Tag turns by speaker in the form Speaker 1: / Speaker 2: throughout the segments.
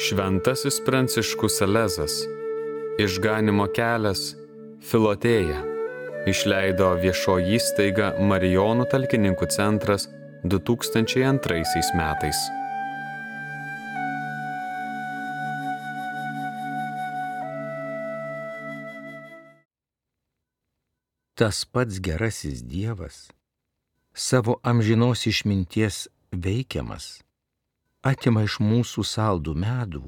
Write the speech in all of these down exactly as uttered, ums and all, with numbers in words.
Speaker 1: Šventasis Pranciškus Salezas, Išganymo kelias, Filotėja, išleido viešoji įstaiga Marijonų talkininkų centras du tūkstančiai antraisiais metais.
Speaker 2: Tas pats gerasis Dievas, savo amžinos išminties veikiamas, atima iš mūsų saldų medų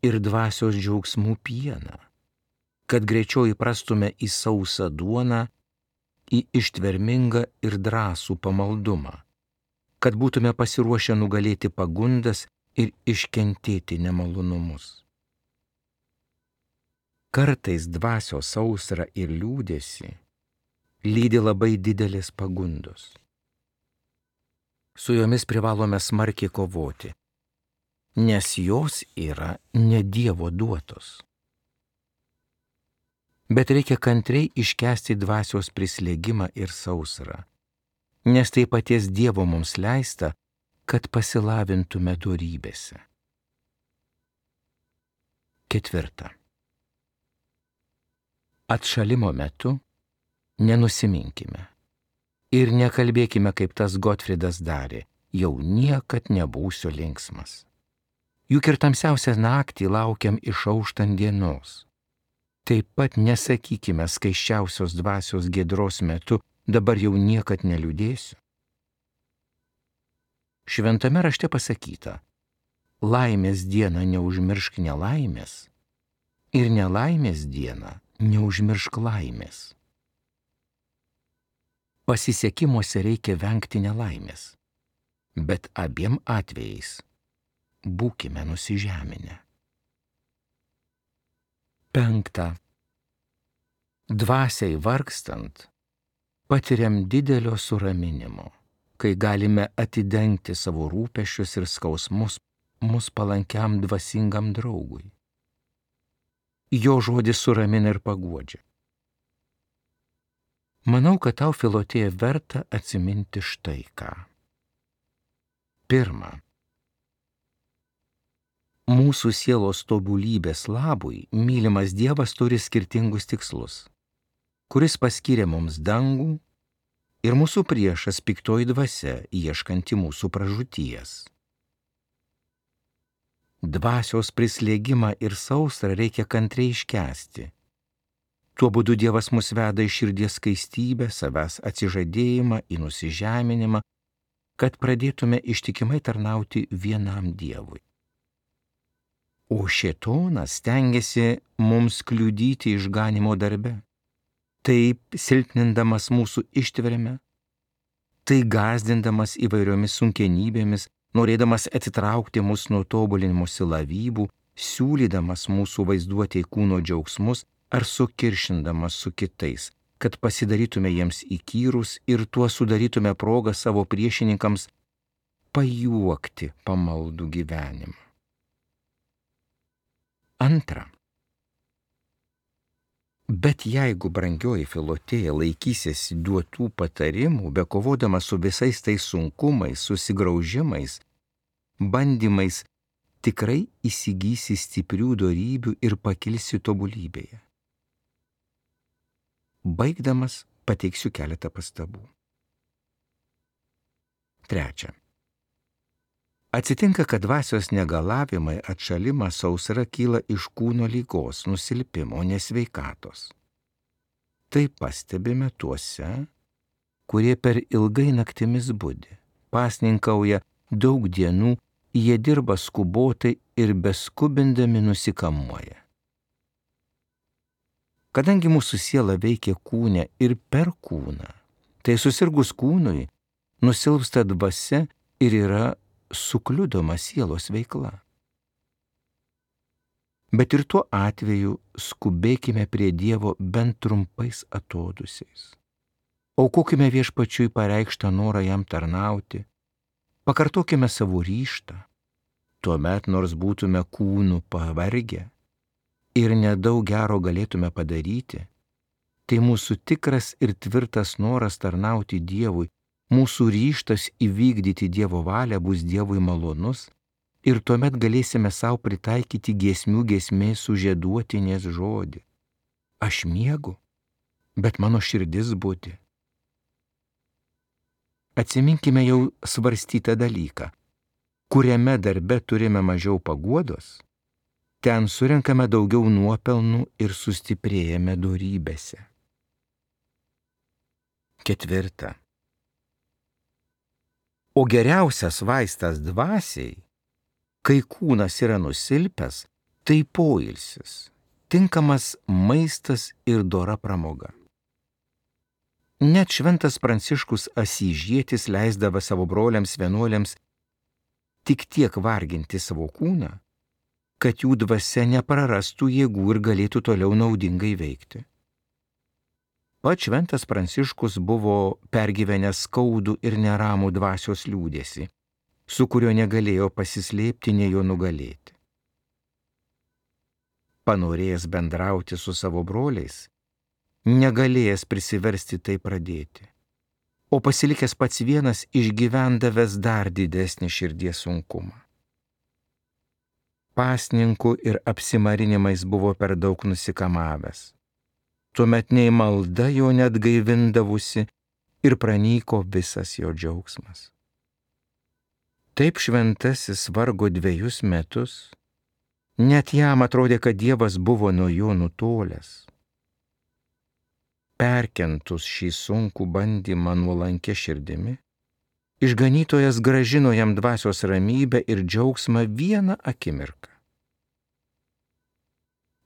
Speaker 2: ir dvasios džiaugsmų pieną, kad greičiau įprastume į sausą duoną, į ištvermingą ir drąsų pamaldumą, kad būtume pasiruošę nugalėti pagundas ir iškentėti nemalonumus. Kartais dvasios sausrą ir liūdesį lydi labai didelės pagundos. Su jomis privalome smarkiai kovoti, nes jos yra ne Dievo duotos. Bet reikia kantriai iškęsti dvasios prislėgimą ir sausrą, nes tai paties Dievo mums leista, kad pasilavintume dorybėse. Ketvirta. Atšalimo metu nenusiminkime ir nekalbėkime, kaip tas Gotfridas darė, jau niekad nebūsiu linksmas. Juk ir tamsiausią naktį laukiam išauštant dienos. Taip pat nesakykime skaisčiausios dvasios giedros metu, dabar jau niekad neliūdėsiu. Šventame rašte pasakyta, laimės dieną neužmiršk nelaimės ir nelaimės dieną neužmiršk laimės. Pasisekimuose reikia vengti nelaimės, bet abiem atvejais būkime nusižeminę. Penkta. Dvasiai vargstant patiriam didelio suraminimo, kai galime atidengti savo rūpesčius ir skausmus mus palankiam dvasingam draugui. Jo žodis suramina ir paguodžia. Manau, kad tau, Filotėja, verta atsiminti štai ką. Pirma. Mūsų sielos tobulybės labui mylimas Dievas turi skirtingus tikslus, kuris paskyrė mums dangų ir mūsų priešas piktoji dvasia, ieškanti mūsų pražūties. Dvasios prislėgimą ir sausrą reikia kantriai iškęsti. Tuo būdu Dievas mus veda į širdies skaistybę, savęs atsižadėjimą, į nusižeminimą, kad pradėtume ištikimai tarnauti vienam Dievui. O šėtonas stengiasi mums kliudyti išganymo darbe, taip silpnindamas mūsų ištvermę, tai gąsdindamas įvairiomis sunkenybėmis, norėdamas atitraukti mus nuo tobulinimosi lavybų, siūlydamas mūsų vaizduotei kūno džiaugsmus ar sukiršindamas su kitais, kad pasidarytume jiems įkyrus ir tuo sudarytume progą savo priešininkams pajuokti pamaldų gyvenimą. Antra. Bet jeigu, brangioji Filotėja, laikysiesi duotų patarimų, bekovodama su visais tais sunkumais, susigraužimais, bandymais, tikrai įsigysi stiprių dorybių ir pakilsi tobulybėje. Baigdamas pateiksiu keletą pastabų. Trečia. Atsitinka, kad dvasios negalavimai, atšalimas, sausra kyla iš kūno ligos, nusilpimo, nesveikatos. Tai pastebime tuose, kurie per ilgai naktimis budi, pasninkauja daug dienų, jie dirba skubotai ir beskubindami nusikamuoja. Kadangi mūsų siela veikia kūne ir per kūną, tai susirgus kūnui nusilpsta dvasia ir yra sukliudoma sielos veikla. Bet ir tuo atveju skubėkime prie Dievo bent trumpais atodūsiais. Aukokime Viešpačiui pareikštą norą jam tarnauti, pakartokime savo ryžtą, tuomet nors būtume kūnų pavargę ir nedaug gero galėtume padaryti, tai mūsų tikras ir tvirtas noras tarnauti Dievui, mūsų ryžtas įvykdyti Dievo valią bus Dievui malonus ir tuomet galėsime savo pritaikyti giesmių giesmės sužieduotinės žodį. Aš miegu, bet mano širdis budi. Atsiminkime jau svarstytą dalyką. Kuriame darbe turime mažiau paguodos, ten surenkame daugiau nuopelnų ir sustiprėjame dorybėse. Ketvirta. O geriausias vaistas dvasiai, kai kūnas yra nusilpęs, tai poilsis, tinkamas maistas ir dora pramoga. Net šventas Pranciškus Asyžietis leisdavo savo broliams vienuoliams tik tiek varginti savo kūną, kad jų dvasia neprarastų jėgų ir galėtų toliau naudingai veikti. Pats šventas Pranciškus buvo pergyvenęs skaudų ir neramų dvasios liūdesį, su kuriuo negalėjo pasislėpti, nei jo nugalėti. Panorėjęs bendrauti su savo broliais, negalėjęs prisiversti tai pradėti, o pasilikęs pats vienas išgyvendavęs dar didesnį širdies sunkumą. Pasninkų ir apsimarinimais buvo per daug nusikamavęs. Tuomet nei malda jo net gaivindavusi ir pranyko visas jo džiaugsmas. Taip šventasis vargo dviejus metus, net jam atrodė, kad Dievas buvo nuo jo nutolęs. Perkentus šį sunkų bandymą nuolankia širdimi, išganytojas grąžino jam dvasios ramybę ir džiaugsmą vieną akimirką.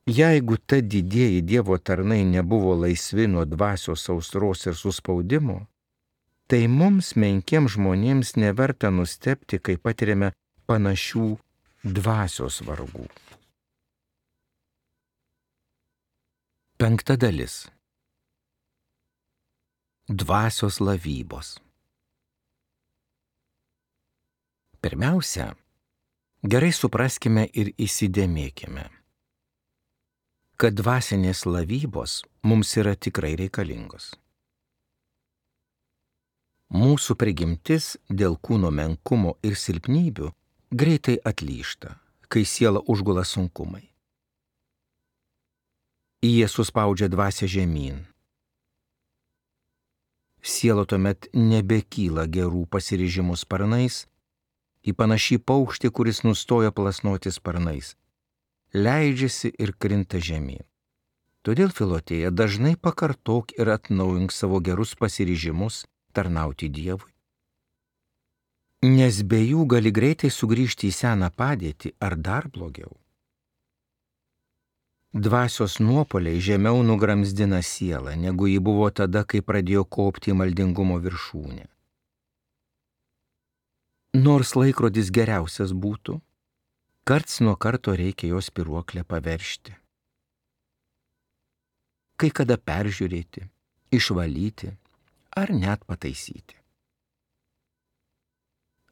Speaker 2: Jeigu ta didieji Dievo tarnai nebuvo laisvi nuo dvasios sausros ir suspaudimo, tai mums menkiems žmonėms neverta nustebti, kai patiriame panašių dvasios vargų. Penkta dalis. Dvasios lavybos. Pirmiausia, gerai supraskime ir įsidėmėkime, kad dvasinės lavybos mums yra tikrai reikalingos. Mūsų prigimtis dėl kūno menkumo ir silpnybių greitai atlyžta, kai siela užgula sunkumai. Jie suspaudžia dvasią žemyn. Siela tuomet nebekyla gerų pasiryžimų sparnais, į panašį paukštį, kuris nustoja plasnoti sparnais, leidžiasi ir krinta žemyn. Todėl, Filotėja, dažnai pakartok ir atnaujink savo gerus pasiryžimus tarnauti Dievui. Nes be jų gali greitai sugrįžti į seną padėtį ar dar blogiau. Dvasios nuopuoliai žemiau nugramzdina sielą, negu ji buvo tada, kai pradėjo kopti į maldingumo viršūnę. Nors laikrodis geriausias būtų, karts nuo karto reikia jo spyruoklę paveržti. Kai kada peržiūrėti, išvalyti ar net pataisyti.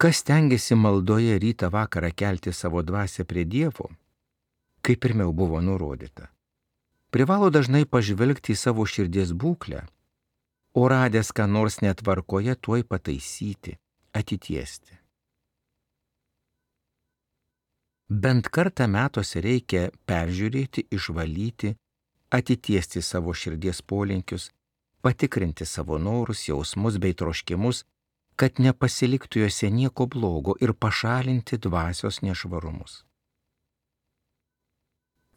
Speaker 2: Kas stengiasi maldoje rytą vakarą kelti savo dvasią prie Dievo, kaip pirmiau buvo nurodyta, privalo dažnai pažvelgti į savo širdies būklę, o radęs ką nors netvarkoje tuoj pataisyti, atitiesti. Bent kartą metuose reikia peržiūrėti, išvalyti, atitiesti savo širdies polinkius, patikrinti savo norus, jausmus bei troškimus, kad nepasiliktų juose nieko blogo ir pašalinti dvasios nešvarumus.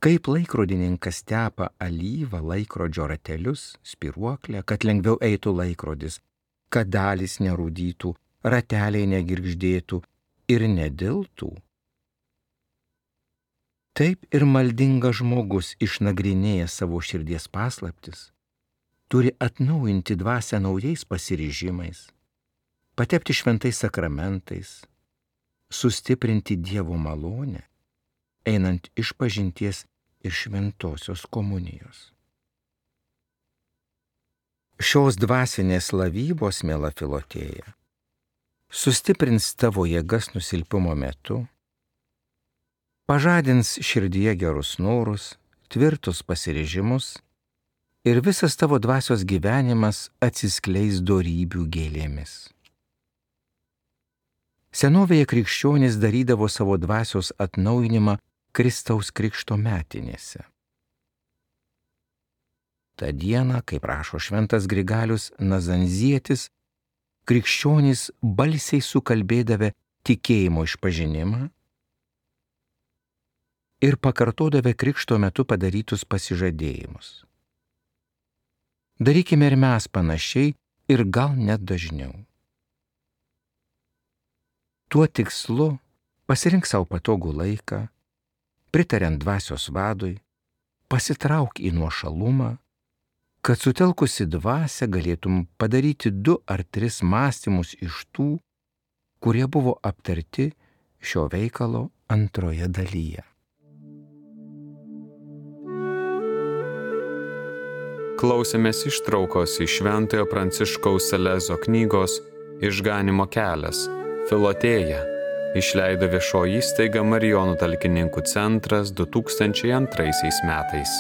Speaker 2: Kaip laikrodininkas tepa alyvą laikrodžio ratelius, spyruoklę, kad lengviau eitų laikrodis, kad dalys nerūdytų, rateliai negirgždėtų ir nediltų. Taip ir maldingas žmogus, išnagrinėjęs savo širdies paslaptis, turi atnaujinti dvasią naujais pasiryžimais, patepti šventais sakramentais, sustiprinti Dievo malonę, einant išpažinties ir šventosios komunijos. Šios dvasinės lavybos, miela Filotėja, sustiprins tavo jėgas nusilpimo metu, pažadins širdyje gerus norus, tvirtus pasiryžimus ir visas tavo dvasios gyvenimas atsiskleis dorybių gėlėmis. Senovėje krikščionys darydavo savo dvasios atnaujinimą Kristaus krikšto metinėse. Ta diena, kaip rašo šventas Grigalius Nazanzietis, krikščionys balsiai sukalbėdavę tikėjimo išpažinimą ir pakartodavę krikšto metu padarytus pasižadėjimus. Darykime ir mes panašiai ir gal net dažniau. Tuo tikslu pasirink savo patogų laiką, pritariant dvasios vadui, pasitrauk į nuošalumą, kad sutelkusi dvasią galėtum padaryti du ar tris mąstymus iš tų, kurie buvo aptarti šio veikalo antroje dalyje.
Speaker 1: Klausėmės ištraukos iš Šventojo Pranciškaus Salezo knygos Išganymo kelias, Filotėja, išleido viešoji įstaiga Marijonų talkininkų centras du tūkstančiai antraisiais metais.